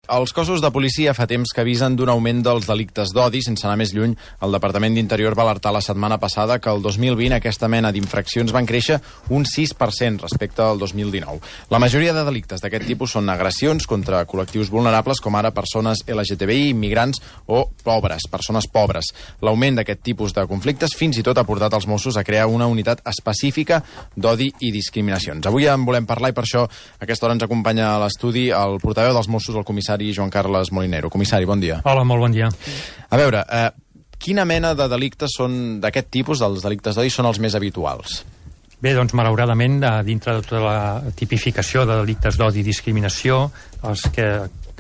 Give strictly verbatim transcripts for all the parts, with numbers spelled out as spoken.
Els cossos de policia fa temps que avisen d'un augment dels delictes d'odi. Sense anar més lluny, el Departament d'Interior va alertar la setmana passada que el dos mil vint aquesta mena d'infraccions van créixer un sis per cent respecte al dos mil dinou. La majoria de delictes d'aquest tipus són agressions contra col·lectius vulnerables, com ara persones L G T B I, immigrants o pobres, persones pobres. L'augment d'aquest tipus de conflictes fins i tot ha portat els Mossos a crear una unitat específica d'odi i discriminacions. Avui en volem parlar i per això a aquesta hora ens acompanya a l'estudi el portaveu dels Mossos, el comissari Joan Carles Molinero. Comissari, bon dia. Hola, molt bon dia. A veure, eh, quina mena de delictes són d'aquest tipus, dels delictes d'odi, són els més habituals? Bé, doncs, malauradament, dintre de tota la tipificació de delictes d'odi i discriminació, els que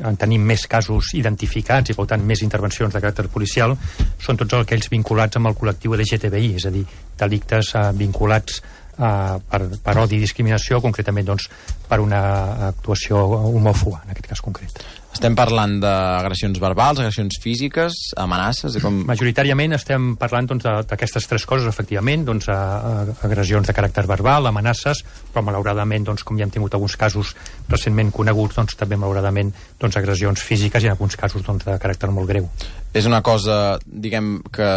en tenim més casos identificats i, per tant, més intervencions de caràcter policial, són tots aquells vinculats amb el col·lectiu L G T B I, és a dir, delictes eh, vinculats Uh, per, per odi i discriminació, concretament doncs, per una actuació homòfoba, en aquest cas concret. Estem parlant d'agressions verbals, agressions físiques, amenaces... I com... Majoritàriament estem parlant doncs, d'aquestes tres coses, efectivament, doncs, a, a, agressions de caràcter verbal, amenaces, però malauradament, doncs, com ja hem tingut alguns casos recentment coneguts, doncs, també malauradament doncs, agressions físiques i en alguns casos doncs, de caràcter molt greu. És una cosa, diguem, que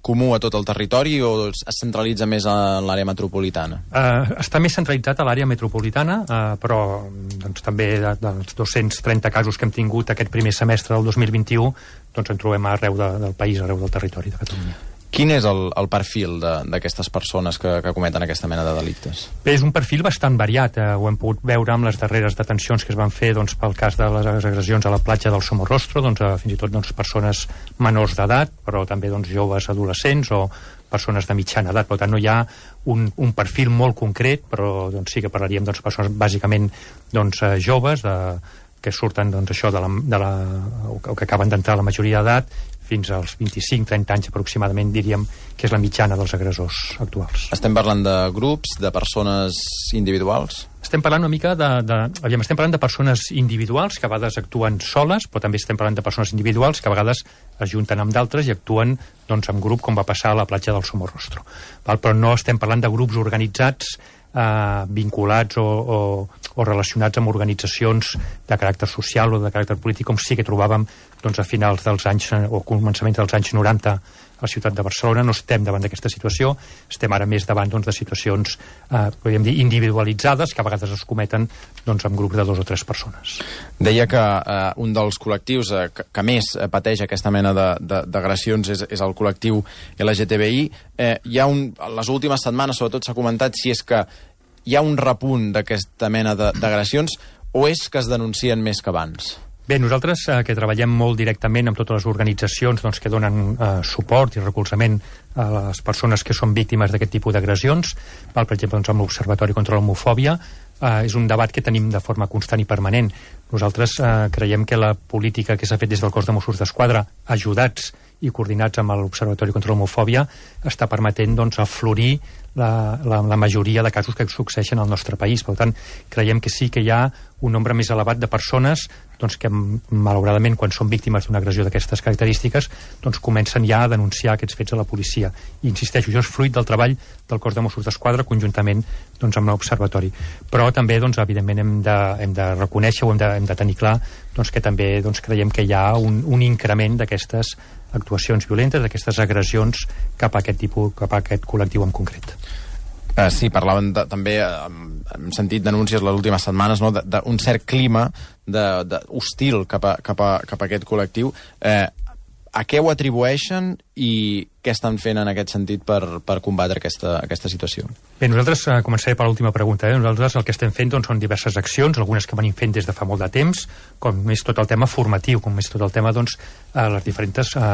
comú a tot el territori o es centralitza més en l'àrea metropolitana? Uh, està més centralitzat a l'àrea metropolitana, uh, però doncs, també de, dels dos-cents trenta casos que hem tingut aquest primer semestre del dos mil vint-i-u, doncs en trobem arreu de, del país, arreu del territori de Catalunya. Quin és el, el perfil d'aquestes persones que, que cometen aquesta mena de delictes? Bé, és un perfil bastant variat. Eh, ho hem pogut veure amb les darreres detencions que es van fer doncs, pel cas de les agressions a la platja del Somorrostro, doncs, eh, fins i tot doncs, persones menors d'edat, però també doncs, joves adolescents o persones de mitjana edat. Per tant, no hi ha un, un perfil molt concret, però doncs, sí que parlaríem de doncs, persones bàsicament doncs, eh, joves, de, que surten doncs, això de la, de la, o que acaben d'entrar a la majoria d'edat, fins als vint-i-cinc trenta anys aproximadament, diríem que és la mitjana dels agressors actuals. Estem parlant de grups, de persones individuals? Estem parlant una mica de... de aviam, estem parlant de persones individuals que a vegades actuen soles, però també estem parlant de persones individuals que a vegades es junten amb d'altres i actuen doncs, en grup, com va passar a la platja del Somorrostro. Val? Però no estem parlant de grups organitzats eh, vinculats o, o, o relacionats amb organitzacions de caràcter social o de caràcter polític, com sí que trobàvem doncs, a finals dels anys o començaments dels anys noranta a la ciutat de Barcelona. No estem davant d'aquesta situació, estem ara més davant doncs, de situacions eh, podríem dir individualitzades que a vegades es cometen doncs, amb grups de dos o tres persones. Deia que eh, un dels col·lectius eh, que, que més pateix aquesta mena d'agressions és, és el col·lectiu L G T B I. Eh, hi ha un, en les últimes setmanes sobretot s'ha comentat si és que hi ha un repunt d'aquesta mena d'agressions o és que es denuncien més que abans? Bé, nosaltres eh, que treballem molt directament amb totes les organitzacions doncs, que donen eh, suport i recolzament a les persones que són víctimes d'aquest tipus d'agressions, per exemple, doncs, amb l'Observatori contra l'Homofòbia, eh, és un debat que tenim de forma constant i permanent. Nosaltres eh, creiem que la política que s'ha fet des del cos de Mossos d'Esquadra, ajudats i coordinats amb l'Observatori contra l'Homofòbia, està permetent doncs, aflorir la, la, la majoria de casos que succeeixen al nostre país. Per tant, creiem que sí que hi ha un nombre més elevat de persones doncs, que, malauradament, quan són víctimes d'una agressió d'aquestes característiques, doncs, comencen ja a denunciar aquests fets a la policia. I insisteixo, això és fruit del treball del cos de Mossos d'Esquadra conjuntament doncs, amb l'Observatori. Però també, doncs, evidentment, hem de, hem de reconèixer o hem de, hem de tenir clar doncs, que també doncs, creiem que hi ha un, un increment d'aquestes actuacions violentes, d'aquestes agressions cap a aquest tipus, cap a aquest col·lectiu en concret. Uh, sí, parlaven de, també, uh, hem sentit denúncies les últimes setmanes, no?, d'un cert clima de, de hostil cap a, cap, a, cap a aquest col·lectiu. Uh, a què ho atribueixen i què estan fent en aquest sentit per, per combatre aquesta, aquesta situació? Bé, nosaltres eh, començaré per l'última pregunta. Eh? Nosaltres el que estem fent doncs, són diverses accions, algunes que venim fent des de fa molt de temps, com és tot el tema formatiu, com és tot el tema, doncs, eh, les diferents eh,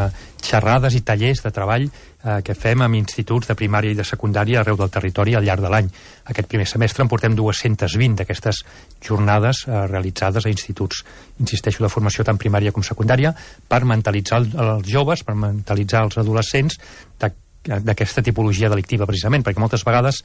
xerrades i tallers de treball eh, que fem amb instituts de primària i de secundària arreu del territori al llarg de l'any. Aquest primer semestre en portem dues-centes vint d'aquestes jornades eh, realitzades a instituts, insisteixo, de formació tant primària com secundària, per mentalitzar els joves, per mentalitzar els adolescents d'aquesta tipologia delictiva, precisament, perquè moltes vegades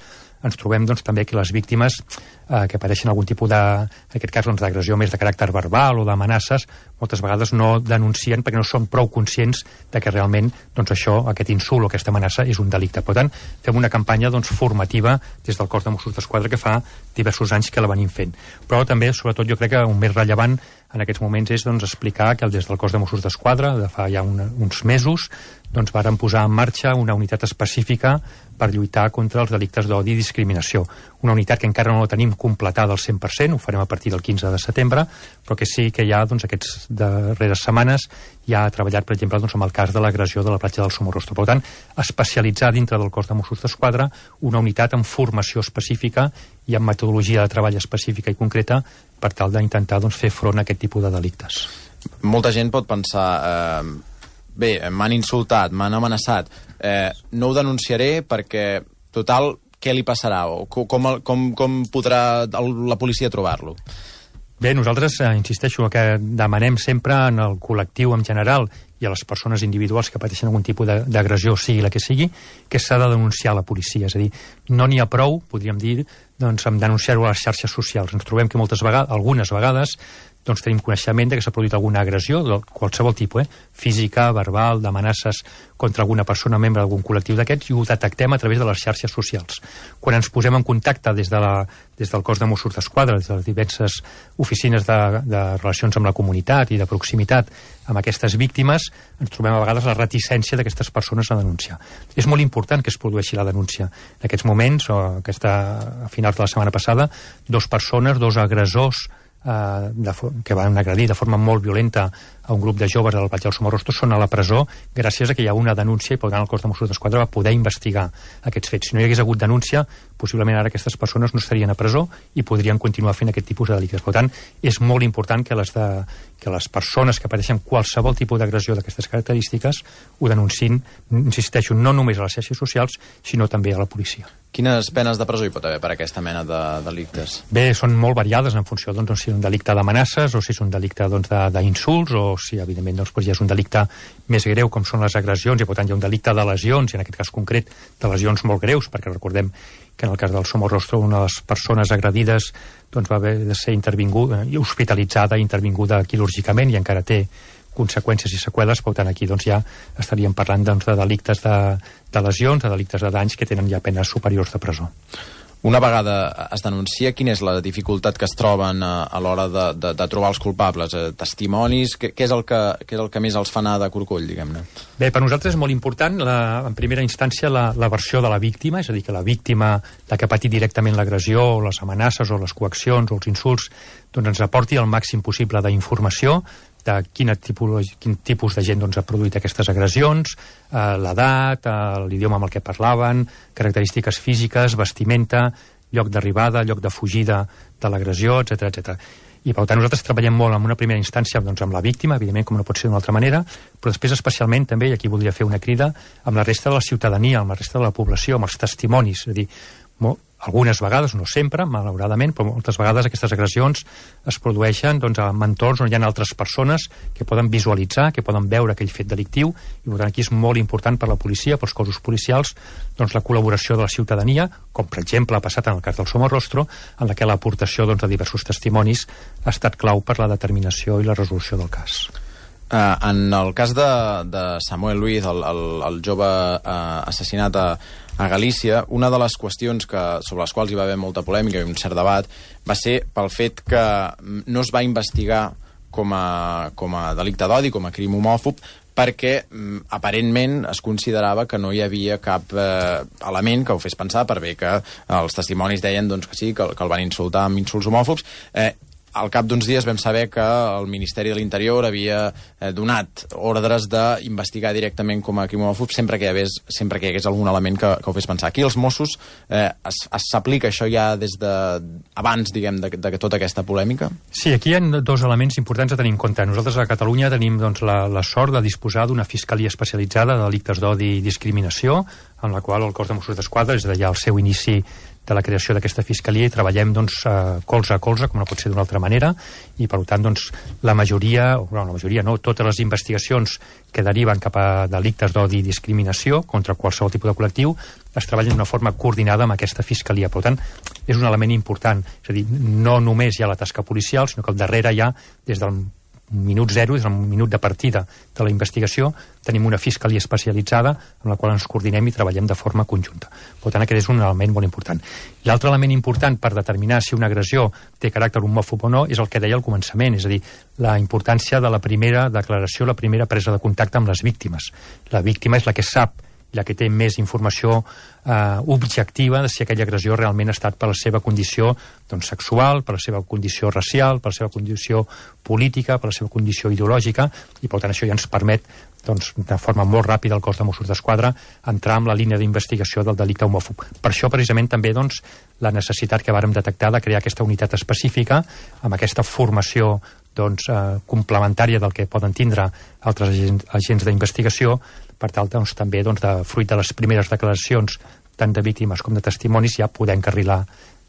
ens trobem doncs, també que les víctimes eh, que pateixen algun tipus de, en aquest cas, doncs, d'agressió més de caràcter verbal o d'amenaces, moltes vegades no denuncien perquè no són prou conscients de que realment doncs, això, aquest insult o aquesta amenaça és un delicte. Per tant, fem una campanya doncs, formativa des del cos de Mossos d'Esquadra que fa diversos anys que la venim fent. Però també, sobretot, jo crec que un més rellevant en aquests moments és doncs, explicar que des del cos de Mossos d'Esquadra, de fa ja un, uns mesos, doncs varen posar en marxa una unitat específica per lluitar contra els delictes d'odi i discriminació. Una unitat que encara no la tenim completada al cent per cent, ho farem a partir del quinze de setembre, però que sí que ja doncs, aquestes darreres setmanes ja ha treballat, per exemple, doncs, amb el cas de l'agressió de la platja del Somorrostro. Per tant, especialitzar dintre del cos de Mossos d'Esquadra una unitat amb formació específica i amb metodologia de treball específica i concreta per tal d'intentar doncs, fer front a aquest tipus de delictes. Molta gent pot pensar... Eh... Bé, m'han insultat, m'han amenaçat, eh, no ho denunciaré perquè, total, què li passarà? O com, com, com podrà la policia trobar-lo? Bé, nosaltres, eh, insisteixo, el que demanem sempre en el col·lectiu en general i a les persones individuals que pateixen algun tipus d'agressió, sigui la que sigui, que s'ha de denunciar a la policia. És a dir, no n'hi ha prou, podríem dir, doncs, amb denunciar-ho a les xarxes socials. Ens trobem que moltes vegades, algunes vegades, doncs tenim coneixement de que s'ha produït alguna agressió de qualsevol tipus, eh? física, verbal, d'amenaces contra alguna persona, membre d'algun col·lectiu d'aquests, i ho detectem a través de les xarxes socials. Quan ens posem en contacte des, de la, des del cos de Mossos d'Esquadra, des de les diverses oficines de, de relacions amb la comunitat i de proximitat amb aquestes víctimes, ens trobem a vegades la reticència d'aquestes persones a denunciar. És molt important que es produeixi la denúncia. En aquests moments, o aquesta, a finals de la setmana passada, dos persones, dos agressors Uh, de, que van agredir de forma molt violenta a un grup de joves del Platja del Somorrostro són a la presó gràcies a que hi ha una denúncia i per tant el cos de Mossos d'Esquadra va poder investigar aquests fets. Si no hi hagués hagut denúncia, possiblement ara aquestes persones no estarien a presó i podrien continuar fent aquest tipus de delictes. Per tant, és molt important que les, de, que les persones que pateixen qualsevol tipus d'agressió d'aquestes característiques ho denunciïn, insisteixo, no només a les xarxes socials, sinó també a la policia. Quines penes de presó hi pot haver per aquesta mena de delictes? Bé, són molt variades en funció doncs, si és un delicte d'amenaces o si és un delicte doncs, d'insults o si, evidentment, doncs, ja és un delicte més greu com són les agressions i, per tant, hi ha un delicte de lesions, i en aquest cas concret de lesions molt greus, perquè recordem que en el cas del Somorrostro una de les persones agredides doncs, va haver de ser intervinguda, hospitalitzada i intervinguda quirúrgicament i encara té conseqüències i seqüeles, per tant aquí doncs, ja estaríem parlant doncs, de delictes de, de lesions, de delictes de danys que tenen ja penes superiors de presó. Una vegada es denuncia, quina és la dificultat que es troben a, a l'hora de, de, de trobar els culpables? Eh, testimonis? Què, què, és el que, què és el que més els fa anar de corcoll, diguem-ne? Bé, per nosaltres és molt important, la, en primera instància, la, la versió de la víctima, és a dir, que la víctima, la que ha patit directament l'agressió, o les amenaces, o les coaccions, o els insults, doncs ens aporti el màxim possible d'informació de quin tipus, quin tipus de gent doncs, ha produït aquestes agressions, eh, l'edat, eh, l'idioma amb el que parlaven, característiques físiques, vestimenta, lloc d'arribada, lloc de fugida de l'agressió, etcètera, etcètera. I per tant nosaltres treballem molt en una primera instància doncs, amb la víctima, evidentment com no pot ser d'una altra manera, però després especialment també, i aquí voldria fer una crida, amb la resta de la ciutadania, amb la resta de la població, amb els testimonis, és a dir, molt, algunes vegades, no sempre, malauradament, però moltes vegades aquestes agressions es produeixen doncs, en entorns on hi ha altres persones que poden visualitzar, que poden veure aquell fet delictiu, i per tant aquí és molt important per la policia, pels cossos policials, doncs, la col·laboració de la ciutadania, com per exemple ha passat en el cas del Somorrostro, en la que l'aportació doncs, de diversos testimonis ha estat clau per la determinació i la resolució del cas. Uh, en el cas de, de Samuel Luiz, el, el, el jove uh, assassinat a, a Galícia, una de les qüestions que, sobre les quals hi va haver molta polèmica i un cert debat va ser pel fet que no es va investigar com a, com a delicte d'odi, com a crim homòfob, perquè aparentment es considerava que no hi havia cap eh, element que ho fes pensar, per bé que els testimonis deien doncs, que sí, que, que el van insultar amb insults homòfobs. Eh, Al cap d'uns dies vam saber que el Ministeri de l'Interior havia eh, donat ordres d'investigar directament com a crim homòfob sempre que hi hagués, sempre que hi hagués algun element que, que ho fes pensar. Aquí els Mossos eh, s'aplica això ja des de abans, diguem, de, de tota aquesta polèmica? Sí, aquí hi ha dos elements importants a tenir en compte. Nosaltres a Catalunya tenim doncs, la, la sort de disposar d'una fiscalia especialitzada de delictes d'odi i discriminació, en la qual el cos de Mossos d'Esquadra, des de ja el seu inici de la creació d'aquesta fiscalia, i treballem doncs, eh, colze a colze, com no pot ser d'una altra manera, i per tant doncs, la majoria, o no, la majoria no, totes les investigacions que deriven cap a delictes d'odi i discriminació contra qualsevol tipus de col·lectiu es treballen d'una forma coordinada amb aquesta fiscalia. Per tant, és un element important, és a dir, no només hi ha la tasca policial, sinó que al darrere hi ha, des del un minut zero, és el minut de partida de la investigació, tenim una fiscalia especialitzada amb la qual ens coordinem i treballem de forma conjunta. Per tant, aquest és un element molt important. L'altre element important per determinar si una agressió té caràcter homòfob o no és el que deia al començament, és a dir, la importància de la primera declaració, la primera presa de contacte amb les víctimes. La víctima és la que sap, la que té més informació eh, objectiva de si aquella agressió realment ha estat per la seva condició doncs, sexual, per la seva condició racial, per la seva condició política, per la seva condició ideològica, i per tant això ja ens permet doncs, de forma molt ràpida al cos de Mossos d'Esquadra entrar en la línia d'investigació del delicte homòfob. Per això precisament també doncs, la necessitat que vàrem detectar de crear aquesta unitat específica amb aquesta formació doncs, eh, complementària del que poden tindre altres agents, agents d'investigació, per tal doncs, també doncs, de fruit de les primeres declaracions tant de víctimes com de testimonis ja poder encarrilar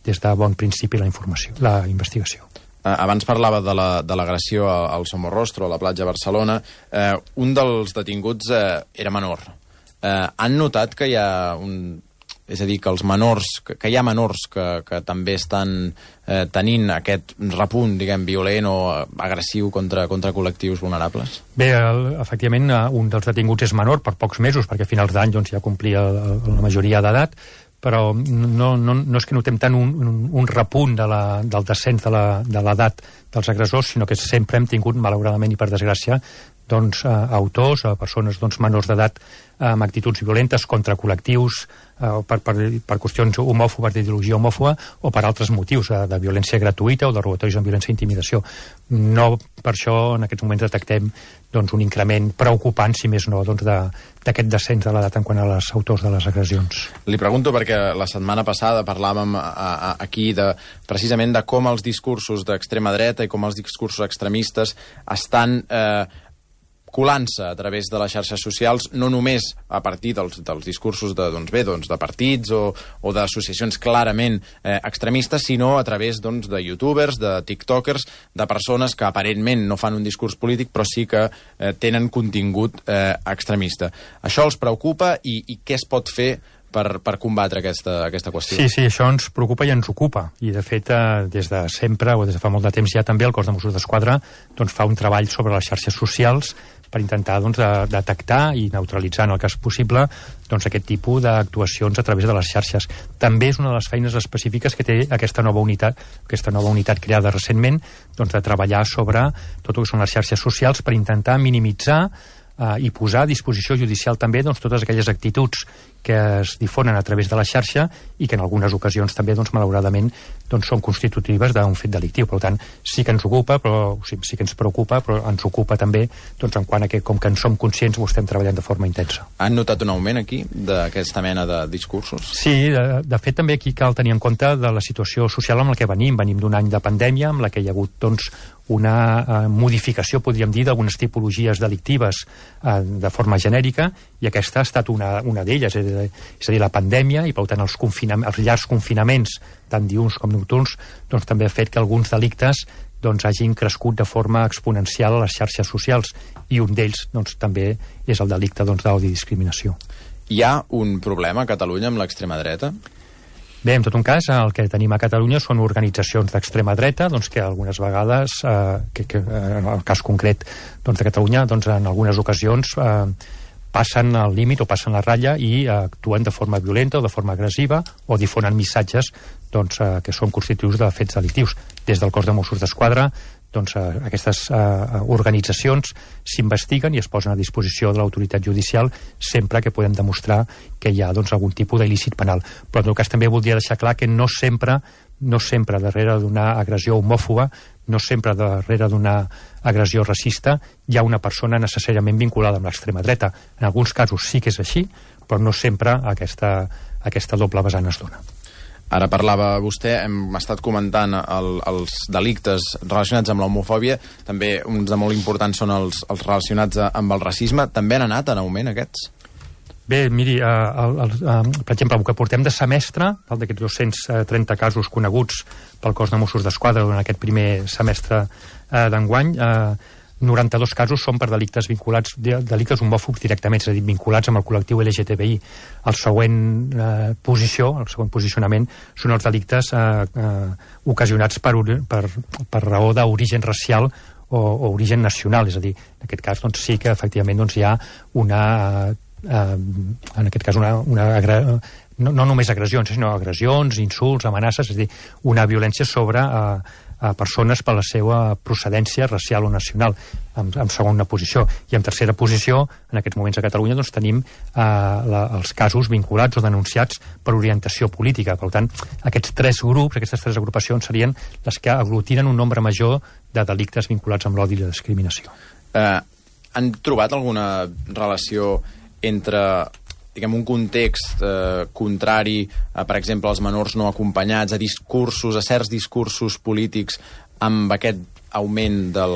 des de bon principi la informació, la investigació. Abans parlava de l'agressió la, al Somorrostro, a la platja de Barcelona. Eh, un dels detinguts eh, era menor. Eh, han notat que hi ha un... És a dir, que els menors, que, que hi ha menors que, que també estan eh, tenint aquest repunt, diguem, violent o agressiu contra, contra col·lectius vulnerables? Bé, el, efectivament, un dels detinguts és menor per pocs mesos, perquè a finals d'any doncs, ja complia la, la majoria d'edat, però no, no, no és que notem tant un, un, un repunt de la, del descens de l'edat dels agressors, sinó que sempre hem tingut, malauradament i per desgràcia, doncs, eh, autors, eh, persones doncs, menors d'edat eh, amb actituds violentes contra col·lectius, eh, per, per, per qüestions homòfobes, d'ideologia homòfoba, o per altres motius, eh, de violència gratuïta o de robatoris amb violència i intimidació. No per això en aquests moments detectem doncs, un increment preocupant, si més no, doncs, d'aquest descens de l'edat en quant a les autors de les agressions. Li pregunto perquè la setmana passada parlàvem a, a, aquí de, precisament de com els discursos d'extrema dreta i com els discursos extremistes estan eh, colant-se a través de les xarxes socials, no només a partir dels, dels discursos de, doncs bé, doncs de partits o, o d'associacions clarament eh, extremistes, sinó a través doncs, de youtubers, de tiktokers, de persones que aparentment no fan un discurs polític, però sí que eh, tenen contingut eh, extremista. Això els preocupa i, i què es pot fer per, per combatre aquesta, aquesta qüestió? Sí, sí, això ens preocupa i ens ocupa. I, de fet, eh, des de sempre, o des de fa molt de temps ja també, el cos de Mossos d'Esquadra doncs, fa un treball sobre les xarxes socials per intentar doncs, de, detectar i neutralitzar, en el cas possible, doncs, aquest tipus d'actuacions a través de les xarxes. També és una de les feines específiques que té aquesta nova unitat, aquesta nova unitat creada recentment, doncs, de treballar sobre tot el que són les xarxes socials per intentar minimitzar eh, i posar a disposició judicial també doncs, totes aquelles actituds que es difonen a través de la xarxa i que en algunes ocasions també, doncs, malauradament, doncs, són constitutives d'un fet delictiu. Per tant, sí que ens ocupa, però sí, sí que ens preocupa, però ens ocupa també doncs, en quant a que, com que en som conscients, ho estem treballant de forma intensa. Han notat un augment aquí d'aquesta mena de discursos? Sí, de, de fet també aquí cal tenir en compte de la situació social amb la que venim. Venim d'un any de pandèmia amb la que hi ha hagut doncs, una eh, modificació, podríem dir, d'algunes tipologies delictives eh, de forma genèrica, i aquesta ha estat una, una d'elles, és, és a dir, la pandèmia, i per tant els, els llargs confinaments, tant diürns com nocturns, doncs també ha fet que alguns delictes doncs, hagin crescut de forma exponencial a les xarxes socials, i un d'ells doncs, també és el delicte doncs, d'odi i discriminació. Hi ha un problema a Catalunya amb l'extrema dreta? Bé, en tot un cas, el que tenim a Catalunya són organitzacions d'extrema dreta, doncs, que algunes vegades, eh, que, que, en el cas concret doncs, de Catalunya, doncs, en algunes ocasions eh, passen el límit o passen la ratlla i eh, actuen de forma violenta o de forma agressiva o difonen missatges doncs, eh, que són constitutius de fets delictius. Des del cos de Mossos d'Esquadra, doncs, eh, aquestes eh, organitzacions s'investiguen i es posen a disposició de l'autoritat judicial sempre que podem demostrar que hi ha doncs, algun tipus d'il·lícit penal. Però en tot cas també voldria deixar clar que no sempre, no sempre darrere d'una agressió homòfoba, no sempre darrere d'una agressió racista hi ha una persona necessàriament vinculada amb l'extrema dreta. En alguns casos sí que és així, però no sempre aquesta, aquesta doble vessant es dona. Ara parlava vostè, hem estat comentant el, els delictes relacionats amb l'homofòbia, també uns de molt importants són els, els relacionats amb el racisme. També han anat en augment aquests? Bé, miri, eh, el, el, eh, per exemple, el que portem de semestre, d'aquests dos-cents trenta casos coneguts pel cos de Mossos d'Esquadra durant aquest primer semestre eh, d'enguany, eh, noranta-dos casos són per delictes vinculats, delictes homòfobs directament, és a dir, vinculats amb el col·lectiu L G T B I. El següent eh, posició, el següent posicionament són els delictes eh, eh, ocasionats per, per, per raó d'origen racial o, o origen nacional, és a dir, en aquest cas doncs, sí que efectivament doncs, hi ha una, eh, en aquest cas una, una no, no només agressions, sinó agressions, insults, amenaces, és a dir, una violència sobre eh, a persones per la seva procedència racial o nacional, en, en segona posició. I en tercera posició, en aquests moments a Catalunya, doncs tenim eh, la, els casos vinculats o denunciats per orientació política. Per tant, aquests tres grups, aquestes tres agrupacions serien les que aglutinen un nombre major de delictes vinculats amb l'odi i la discriminació. Eh, han trobat alguna relació entre diguem, un context eh, contrari a, per exemple, als menors no acompanyats, a discursos, a certs discursos polítics amb aquest augment del,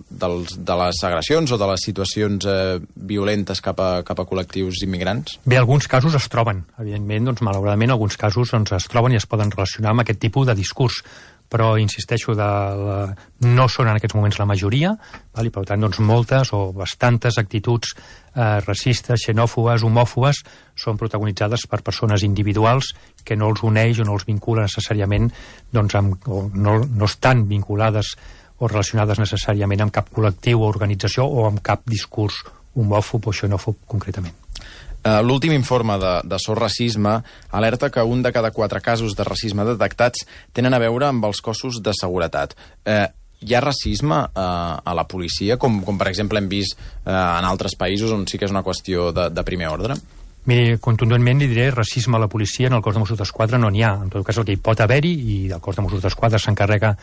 dels, de les agressions o de les situacions eh, violentes cap a, cap a col·lectius immigrants? Bé, alguns casos es troben. Evidentment, doncs, malauradament, alguns casos doncs, es troben i es poden relacionar amb aquest tipus de discurs, però, insisteixo, de la... no són en aquests moments la majoria, val? I per tant, doncs, moltes o bastantes actituds eh, racistes, xenòfobes, homòfobes, són protagonitzades per persones individuals que no els uneix o no els vincula necessàriament, doncs, amb, o no, no estan vinculades o relacionades necessàriament amb cap col·lectiu o organització o amb cap discurs homòfob o xenòfob concretament. Uh, L'últim informe de, de So Racisme alerta que un de cada quatre casos de racisme detectats tenen a veure amb els cossos de seguretat. Uh, hi ha racisme uh, a la policia, com, com per exemple hem vist uh, en altres països on sí que és una qüestió de, de primer ordre? Miri, contundentment li diré racisme a la policia en el cos de Mossos d'Esquadra no n'hi ha. En tot cas, el que hi pot haver-hi, i el cos de Mossos d'Esquadra s'encarrega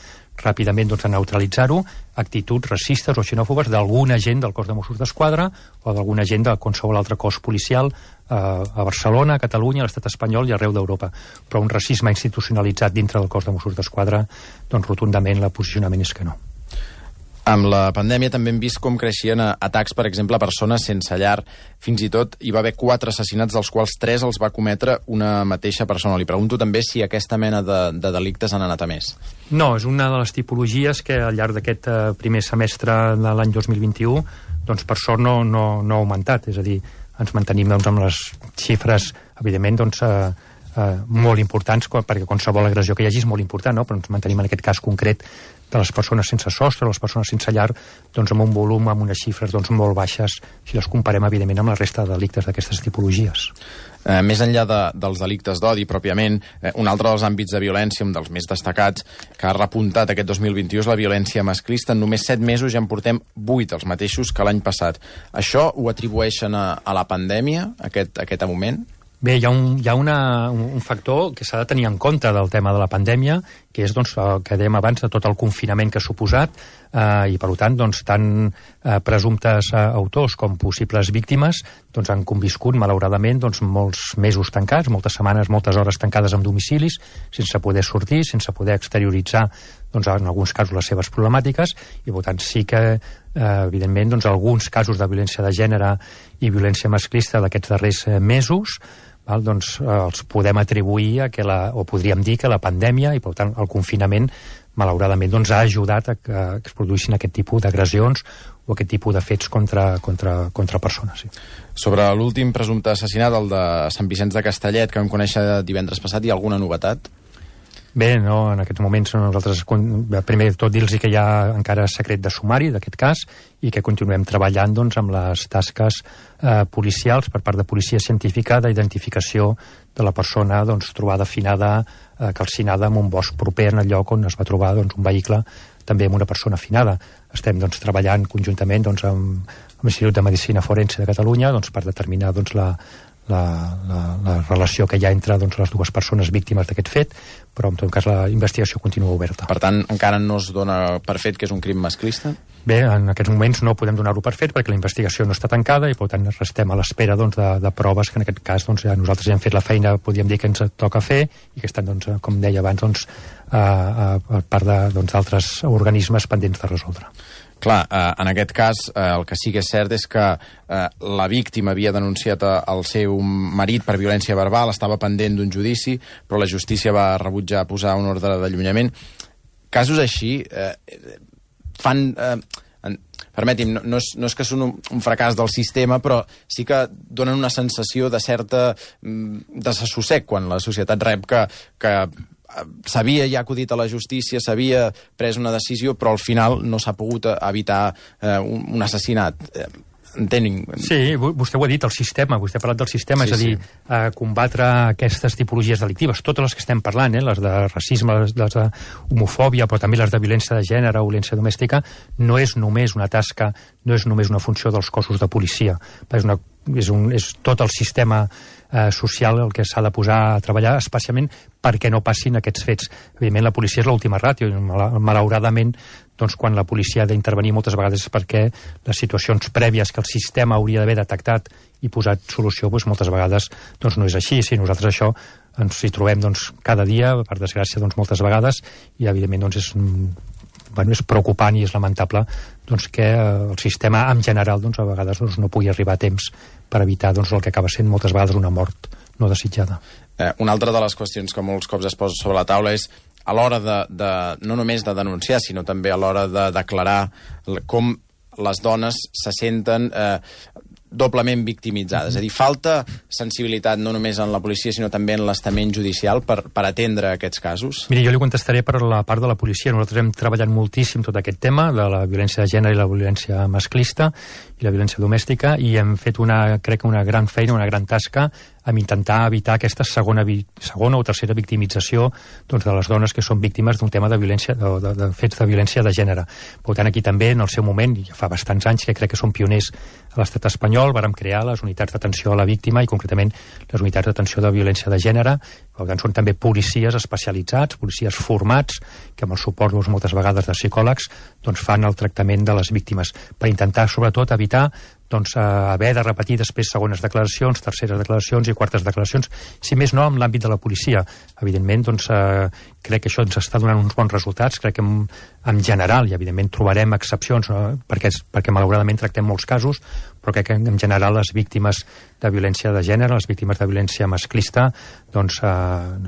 ràpidament doncs, de neutralitzar-ho, actituds racistes o xenòfobes d'algun agent del cos de Mossos d'Esquadra o d'algun agent de qualsevol altre cos policial eh, a Barcelona, a Catalunya, a l'estat espanyol i arreu d'Europa. Però un racisme institucionalitzat dintre del cos de Mossos d'Esquadra, doncs rotundament el posicionament és que no. Amb la pandèmia també hem vist com creixien atacs, per exemple, a persones sense llar. Fins i tot hi va haver quatre assassinats, dels quals tres els va cometre una mateixa persona. Li pregunto també si aquesta mena de, de delictes han anat a més. No, és una de les tipologies que al llarg d'aquest eh, primer semestre de l'any dos mil vint-i-u, doncs per sort no, no, no ha augmentat. És a dir, ens mantenim doncs, amb les xifres, evidentment, doncs, eh, eh, molt importants, perquè qualsevol agressió que hi hagi és molt important, no? Però ens mantenim en aquest cas concret de les persones sense sostre, les persones sense llar, doncs amb un volum, amb unes xifres doncs, molt baixes, si les comparem, evidentment, amb la resta de delictes d'aquestes tipologies. Eh, més enllà de, dels delictes d'odi, pròpiament, eh, un altre dels àmbits de violència, un dels més destacats, que ha repuntat aquest dos mil vint-i-u és la violència masclista. En només set mesos ja en portem vuit, els mateixos que l'any passat. Això ho atribueixen a, a la pandèmia, aquest, aquest augment? Bé, hi ha, un, hi ha una, un, un factor que s'ha de tenir en compte del tema de la pandèmia, que és doncs, el que dèiem abans de tot el confinament que ha suposat, eh, i per tant, doncs, tant eh, presumptes eh, autors com possibles víctimes doncs, han conviscut, malauradament, doncs, molts mesos tancats, moltes setmanes, moltes hores tancades en domicilis, sense poder sortir, sense poder exterioritzar, doncs, en alguns casos, les seves problemàtiques, i per tant sí que, eh, evidentment, doncs, alguns casos de violència de gènere i violència masclista d'aquests darrers eh, mesos, val, doncs, eh, els podem atribuir a que la, o podríem dir que la pandèmia i per tant el confinament malauradament doncs, ha ajudat a que, a que es produïssin aquest tipus d'agressions o aquest tipus de fets contra, contra, contra persones. Sí. Sobre l'últim presumpte assassinat, el de Sant Vicenç de Castellet, que vam conèixer divendres passat, hi ha alguna novetat? Bé, no, en aquests moments nosaltres, primer de tot, dir-los que hi ha encara secret de sumari d'aquest cas i que continuem treballant doncs, amb les tasques eh, policials per part de policia científica d'identificació de la persona doncs, trobada afinada, eh, calcinada en un bosc proper en el lloc on es va trobar doncs, un vehicle també amb una persona afinada. Estem doncs, treballant conjuntament doncs, amb, amb l'Institut de Medicina Forense de Catalunya doncs, per determinar doncs, la, la, la, la relació que hi ha entre doncs, les dues persones víctimes d'aquest fet, però en tot cas la investigació continua oberta. Per tant, encara no es dona per fet que és un crim masclista? Bé, en aquests moments no podem donar-ho per fet perquè la investigació no està tancada i per tant restem a l'espera doncs, de, de proves que en aquest cas doncs, ja nosaltres ja hem fet la feina, podríem dir que ens toca fer i que estan, doncs, com deia abans, doncs, a, a, a part d'altres doncs, organismes pendents de resoldre. Clar, eh, en aquest cas eh, el que sí que és cert és que eh, la víctima havia denunciat el seu marit per violència verbal, estava pendent d'un judici, però la justícia va rebutjar posar un ordre d'allunyament. Casos així eh, fan... Eh, en, permeti'm, no, no, és, no és que són un, un fracàs del sistema, però sí que donen una sensació de certa mm, desassossec quan la societat rep que, que s'havia ja acudit a la justícia, s'havia pres una decisió, però al final no s'ha pogut evitar eh, un, un assassinat. Entenc. Sí, vostè ho ha dit, el sistema, vostè ha parlat del sistema, sí, és a dir, sí. eh, combatre aquestes tipologies delictives, totes les que estem parlant, eh, les de racisme, les, les de homofòbia, però també les de violència de gènere o violència domèstica, no és només una tasca, no és només una funció dels cossos de policia, és, una, és, un, és tot el sistema eh, social el que s'ha de posar a treballar, especialment perquè no passin aquests fets. Evidentment, la policia és l'última ràtio, i malauradament, doncs, quan la policia ha d'intervenir moltes vegades és perquè les situacions prèvies que el sistema hauria d'haver detectat i posat solució, doncs, moltes vegades doncs, no és així. Si nosaltres això ens hi trobem doncs, cada dia, per desgràcia, doncs, moltes vegades, i evidentment doncs, és, bueno, és preocupant i és lamentable doncs, que el sistema en general doncs, a vegades doncs, no pugui arribar a temps per evitar doncs, el que acaba sent moltes vegades una mort no desitjada. Eh, una altra de les qüestions que molts cops es posa sobre la taula és a l'hora de, de, no només de denunciar, sinó també a l'hora de declarar com les dones se senten eh, doblement victimitzades. És a dir, falta sensibilitat no només en la policia, sinó també en l'estament judicial per, per atendre aquests casos? Miri, jo li contestaré per la part de la policia. Nosaltres hem treballat moltíssim tot aquest tema de la violència de gènere i la violència masclista i la violència domèstica, i hem fet una, crec que una gran feina, una gran tasca amb intentar evitar aquesta segona, segona o tercera victimització doncs, de les dones que són víctimes d'un tema de violència, de, de, de fets de violència de gènere. Per tant, aquí també, en el seu moment, i ja fa bastants anys que crec que som pioners a l'estat espanyol, vàrem crear les unitats d'atenció a la víctima i concretament les unitats d'atenció de violència de gènere. Per tant, són també policies especialitzats, policies formats, que amb el suport doncs, moltes vegades de psicòlegs doncs, fan el tractament de les víctimes per intentar, sobretot, evitar doncs, eh, haver de repetir després segones declaracions, terceres declaracions i quartes declaracions, si més no en l'àmbit de la policia. Evidentment, doncs, eh, crec que això ens està donant uns bons resultats, crec que en, en general, i evidentment trobarem excepcions, no? perquè, perquè malauradament tractem molts casos, però crec que en general les víctimes de violència de gènere, les víctimes de violència masclista, doncs eh,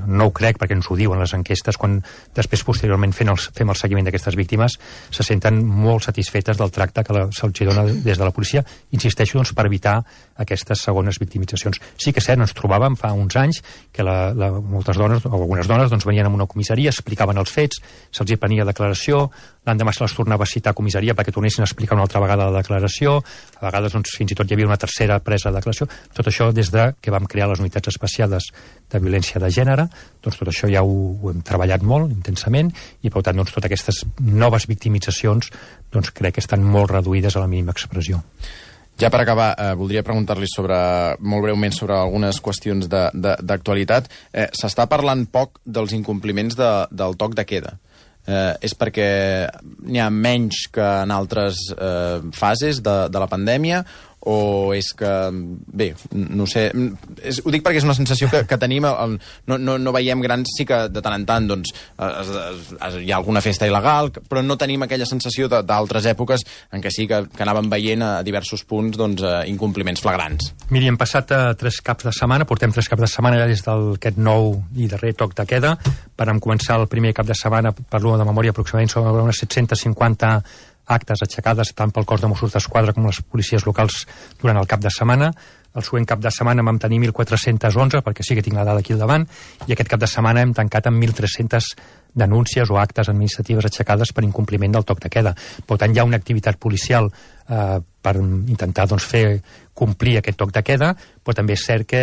no ho crec, perquè ens ho diuen les enquestes, quan després posteriorment fem el, fem el seguiment d'aquestes víctimes, se senten molt satisfetes del tracte que se'ls dona des de la policia, insisteixo, doncs, per evitar aquestes segones victimitzacions. Sí que és cert, ens trobàvem fa uns anys que la, la, moltes dones, o algunes dones, doncs, venien a una comissaria, explicaven els fets, se'ls hi prenia declaració, l'endemà se les tornava a citar a comissaria perquè tornessin a explicar una altra vegada la declaració, a vegades doncs, fins i tot hi havia una tercera presa de declaració. Tot això des de que vam crear les unitats especials de violència de gènere, doncs tot això ja ho, ho hem treballat molt intensament i per tant doncs, totes aquestes noves victimitzacions doncs, crec que estan molt reduïdes a la mínima expressió. Ja per acabar, eh, voldria preguntar-li sobre, molt breument sobre algunes qüestions d'actualitat. Eh, S'està parlant poc dels incompliments de, del toc de queda. Eh, és perquè n'hi ha menys que en altres eh, fases de, de la pandèmia, o és que, bé, no sé, és, ho dic perquè és una sensació que, que tenim, el, no, no, no veiem grans, sí que de tant en tant doncs, es, es, es, hi ha alguna festa il·legal, però no tenim aquella sensació d'altres èpoques en què sí que, que anàvem veient a diversos punts doncs, eh, incompliments flagrants. Miri, hem passat a tres caps de setmana, portem tres caps de setmana ja des d'aquest nou i darrer toc de queda. Vam començar el primer cap de setmana, parlo de memòria, aproximadament sobre unes set-cents cinquanta actes aixecades tant pel cos de Mossos d'Esquadra com les policies locals durant el cap de setmana. El següent cap de setmana vam tenir mil quatre-cents onze, perquè sí que tinc la dada aquí al davant, i aquest cap de setmana hem tancat amb mil tres-centes denúncies o actes administratives aixecades per incompliment del toc de queda. Per tant, hi ha una activitat policial eh, per intentar doncs, fer complir aquest toc de queda, però també és cert que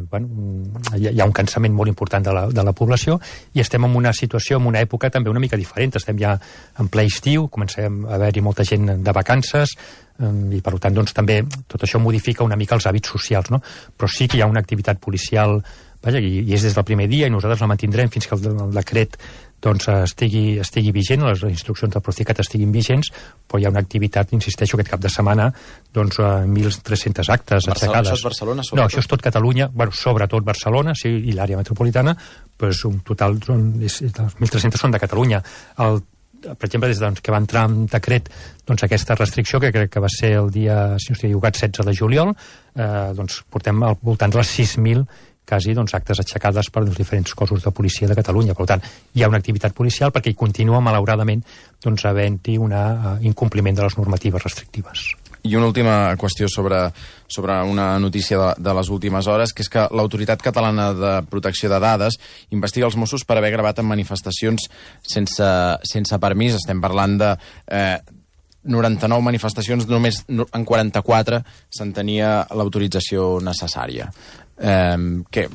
bueno, hi ha un cansament molt important de la, de la població i estem en una situació, en una època també una mica diferent. Estem ja en ple estiu, comencem a haver-hi molta gent de vacances, i per tant doncs, també tot això modifica una mica els hàbits socials, no? Però sí que hi ha una activitat policial, vaja, i, i és des del primer dia i nosaltres la mantindrem fins que el, el decret doncs, estigui, estigui vigent, les instruccions del Procicat estiguin vigents, però hi ha una activitat, insisteixo, aquest cap de setmana, doncs mil tres-cents actes Barcelona, aixecades. Això és Barcelona, sobretot? No, això és tot Catalunya, bueno, sobretot Barcelona, sí, i l'àrea metropolitana, doncs un total, és, mil tres-cents són de Catalunya. El per exemple, des doncs, que va entrar en decret doncs, aquesta restricció, que crec que va ser el dia, si no estic equivocat, setze de juliol, eh, doncs portem al voltant de les sis mil quasi doncs, actes aixecades per els diferents cossos de policia de Catalunya. Per tant, hi ha una activitat policial perquè hi continua, malauradament, doncs, havent-hi un uh, incompliment de les normatives restrictives. I una última qüestió sobre, sobre una notícia de, de les últimes hores, que és que l'Autoritat Catalana de Protecció de Dades investiga els Mossos per haver gravat en manifestacions sense, sense permís. Estem parlant de eh, noranta-nou manifestacions, només en quaranta-quatre se'n tenia l'autorització necessària. Eh, que,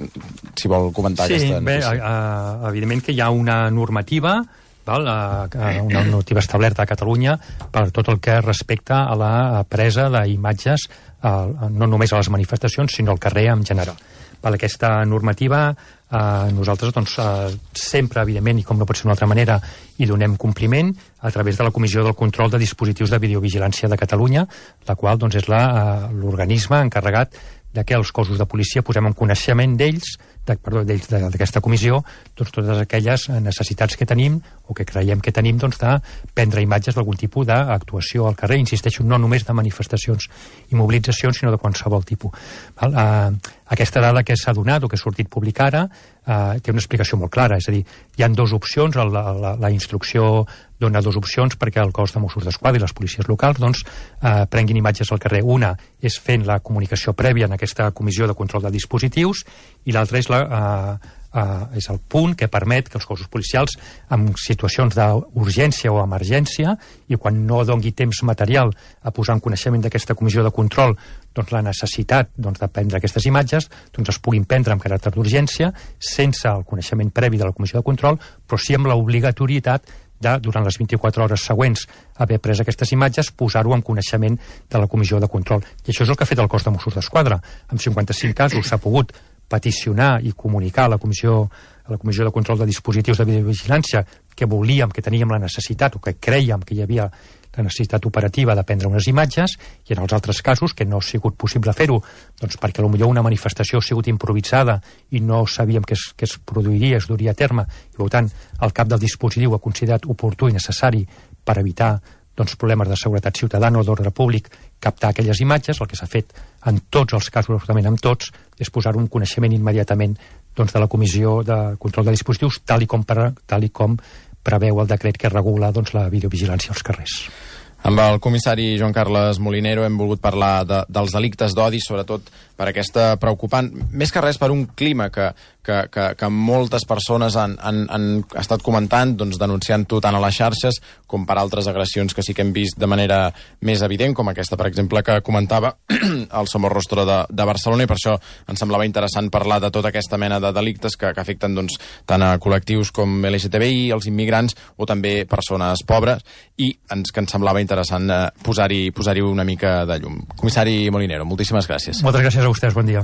si vol comentar sí, aquesta notícia. Sí, bé, evidentment que hi ha una normativa, val, una normativa establerta a Catalunya per tot el que respecta a la presa d'imatges no només a les manifestacions, sinó al carrer en general. Val, aquesta normativa eh, nosaltres doncs, eh, sempre, evidentment, i com no pot ser d'una altra manera, hi donem compliment a través de la Comissió del Control de Dispositius de Videovigilància de Catalunya, la qual doncs, és l'organisme encarregat de que els cossos de policia posem en coneixement d'ells, de, perdó, d'ells d'aquesta comissió, doncs totes aquelles necessitats que tenim o que creiem que tenim doncs, de prendre imatges d'algun tipus d'actuació al carrer, insisteixo, no només de manifestacions i mobilitzacions, sinó de qualsevol tipus. Val? Uh, aquesta dada que s'ha donat o que ha sortit publicada uh, té una explicació molt clara, és a dir, hi ha dues opcions, la, la, la instrucció dona dues opcions perquè el cos de Mossos d'Esquadra i les policies locals doncs, eh, prenguin imatges al carrer. Una és fent la comunicació prèvia en aquesta comissió de control de dispositius i l'altra és, la, eh, eh, és el punt que permet que els cossos policials en situacions d'urgència o emergència i quan no dongui temps material a posar en coneixement d'aquesta comissió de control doncs, la necessitat doncs, de prendre aquestes imatges doncs, es puguin prendre amb caràcter d'urgència sense el coneixement previ de la comissió de control, però sí amb l'obligatorietat de, durant les vint-i-quatre hores següents haver pres aquestes imatges, posar-ho en coneixement de la comissió de control. I això és el que ha fet el cos de Mossos d'Esquadra. En cinquanta-cinc casos s'ha pogut peticionar i comunicar a la comissió, a la comissió de control de dispositius de videovigilància que volíem, que teníem la necessitat o que creiem que hi havia la necessitat operativa de prendre unes imatges i en els altres casos que no ha sigut possible fer-ho doncs perquè potser una manifestació ha sigut improvisada i no sabíem que es, que es produiria, es duria a terme i per tant el cap del dispositiu ha considerat oportú i necessari per evitar doncs, problemes de seguretat ciutadana o d'ordre públic captar aquelles imatges. El que s'ha fet en tots els casos, absolutament en tots, és posar un coneixement immediatament doncs, de la Comissió de Control de Dispositius tal i com, per, tal i com preveu el decret que regula doncs, la videovigilància als carrers. Amb el comissari Joan Carles Molinero hem volgut parlar de, dels delictes d'odi, sobretot per aquesta preocupant, més que res per un clima que, que, que, que moltes persones han, han, han estat comentant, doncs, denunciant-ho tant a les xarxes com per altres agressions que sí que hem vist de manera més evident, com aquesta, per exemple, que comentava el Somorrostro de, de Barcelona, i per això ens semblava interessant parlar de tota aquesta mena de delictes que, que afecten doncs, tant a col·lectius com L G T B I, els immigrants o també persones pobres, i ens, que ens semblava interessant eh, posar-hi posar-hi una mica de llum. Comissari Molinero, moltíssimes gràcies. Moltes gràcies a vostès, bon dia.